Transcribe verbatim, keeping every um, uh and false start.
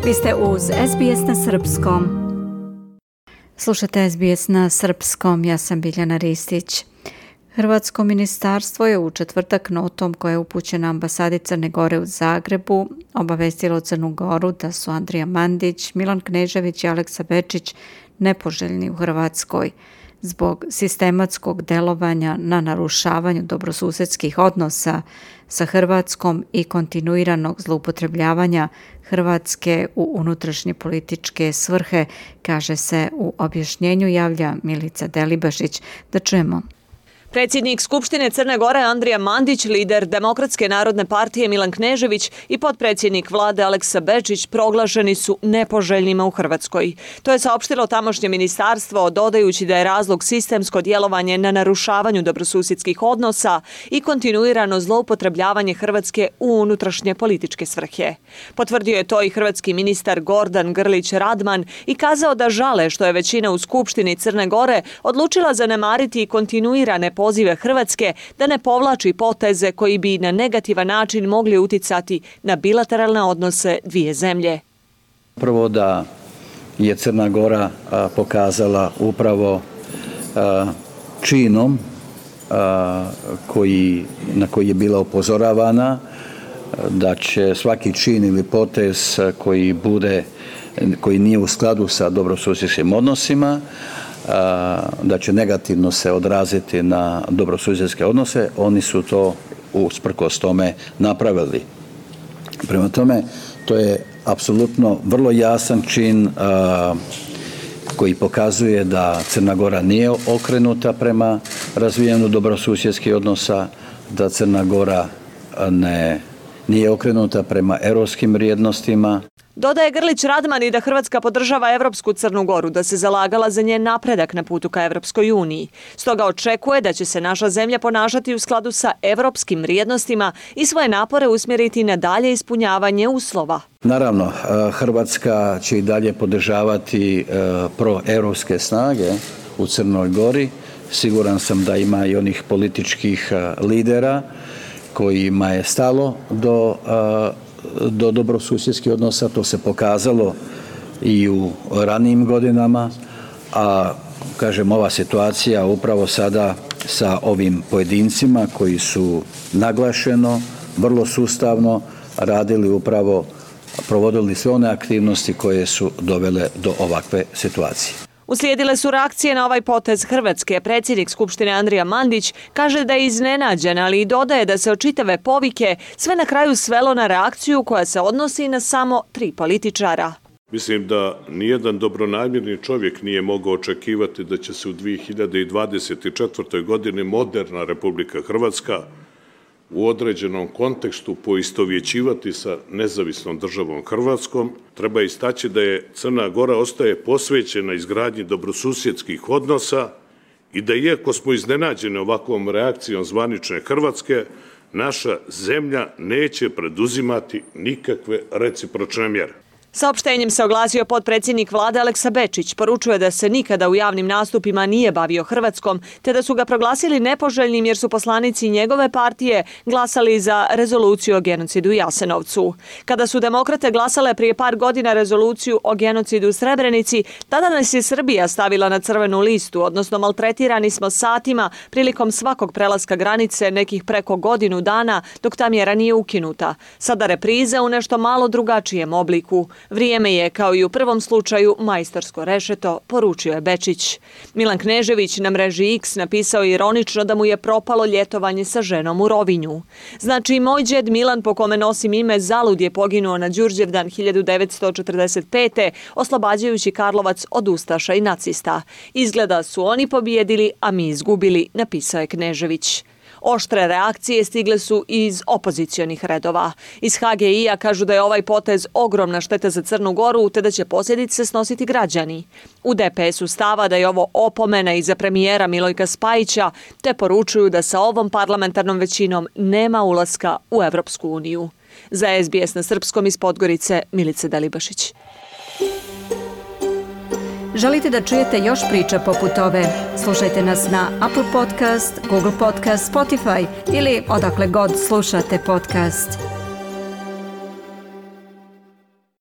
Vi ste uz S B S na srpskom. Slušate S B S na srpskom, ja sam Biljana Ristić. Hrvatsko ministarstvo je u četvrtak notom koja je upućena ambasadi Crne Gore u Zagrebu obavestilo Crnu Goru da su Andrija Mandić, Milan Knežević i Aleksa Bečić nepoželjni u Hrvatskoj zbog sistematskog delovanja na narušavanju dobrosusedskih odnosa sa Hrvatskom i kontinuiranog zloupotrebljavanja Hrvatske u unutrašnje političke svrhe, kaže se u objašnjenju, javlja Milica Delibašić. Da čujemo. Predsjednik Skupštine Crne Gore Andrija Mandić, lider Demokratske narodne partije Milan Knežević i potpredsjednik vlade Aleksa Bečić proglašeni su nepoželjnima u Hrvatskoj. To je saopštilo tamošnje ministarstvo, dodajući da je razlog sistemsko djelovanje na narušavanju dobrosusjedskih odnosa i kontinuirano zloupotrebljavanje Hrvatske u unutrašnje političke svrhe. Potvrdio je to i hrvatski ministar Gordan Grlić Radman i kazao da žale što je većina u Skupštini Crne Gore odlučila zanemariti kontinuirane pozive Hrvatske da ne povlači poteze koji bi na negativan način mogli uticati na bilateralne odnose dvije zemlje. Prvo da je Crna Gora a, pokazala upravo a, činom a, koji, na koji je bila upozoravana da će svaki čin ili potez koji bude, koji nije u skladu sa dobrosusjedskim odnosima, da će negativno se odraziti na dobrosusjedske odnose, oni su to usprkos tome napravili. Prema tome, to je apsolutno vrlo jasan čin a, koji pokazuje da Crna Gora nije okrenuta prema razvijanju dobrosusjedskih odnosa, da Crna Gora ne, nije okrenuta prema europskim vrijednostima. Dodaje Grlić Radman i da Hrvatska podržava Evropsku Crnu Goru, da se zalagala za njen napredak na putu ka Evropskoj uniji. Stoga očekuje da će se naša zemlja ponašati u skladu sa evropskim vrijednostima i svoje napore usmjeriti na dalje ispunjavanje uslova. Naravno, Hrvatska će i dalje podržavati proevropske snage u Crnoj Gori. Siguran sam da ima i onih političkih lidera kojima je stalo do do dobrosusjedskih odnosa, to se pokazalo i u ranijim godinama, a kažem ova situacija upravo sada sa ovim pojedincima koji su naglašeno, vrlo sustavno radili upravo, provodili sve one aktivnosti koje su dovele do ovakve situacije. Uslijedile su reakcije na ovaj potez Hrvatske. Predsjednik Skupštine Andrija Mandić kaže da je iznenađen, ali i dodaje da se od čitave povike sve na kraju svelo na reakciju koja se odnosi na samo tri političara. Mislim da nijedan dobronamjerni čovjek nije mogao očekivati da će se u dvije hiljade dvadeset četvrtoj. godini moderna Republika Hrvatska u određenom kontekstu poistovjećivati sa nezavisnom državom Hrvatskom. Treba istaći da je Crna Gora ostaje posvećena izgradnji dobrosusjedskih odnosa i da iako smo iznenađeni ovakvom reakcijom zvanične Hrvatske, naša zemlja neće preduzimati nikakve recipročne mjere. Saopštenjem se oglasio potpredsjednik vlade Aleksa Bečić. Poručuje da se nikada u javnim nastupima nije bavio Hrvatskom, te da su ga proglasili nepoželjnim jer su poslanici njegove partije glasali za rezoluciju o genocidu u Jasenovcu. Kada su demokrate glasale prije par godina rezoluciju o genocidu u Srebrenici, tada nas je Srbija stavila na crvenu listu, odnosno maltretirani smo satima prilikom svakog prelaska granice nekih preko godinu dana dok ta mjera nije ukinuta. Sada repriza u nešto malo drugačijem obliku. Vrijeme je, kao i u prvom slučaju, majstorsko rešeto, poručio je Bečić. Milan Knežević na mreži X napisao ironično da mu je propalo ljetovanje sa ženom u Rovinju. Znači, moj džed Milan, po kome nosim ime, zalud je poginuo na Đurđevdan hiljadu devetsto četrdeset pete. oslobađajući Karlovac od ustaša i nacista. Izgleda su oni pobijedili, a mi izgubili, napisao je Knežević. Oštre reakcije stigle su iz opozicionih redova. Iz H G I-a kažu da je ovaj potez ogromna šteta za Crnu Goru, te da će posljedice snositi građani. U D P S-u stava da je ovo opomena i za premijera Milojka Spajića, te poručuju da sa ovom parlamentarnom većinom nema ulaska u Evropsku uniju. Za S B S na srpskom iz Podgorice, Milica Delibašić. Želite da čujete još priča poput ove? Slušajte nas na Apple Podcast, Google Podcast, Spotify ili odakle god slušate podcast.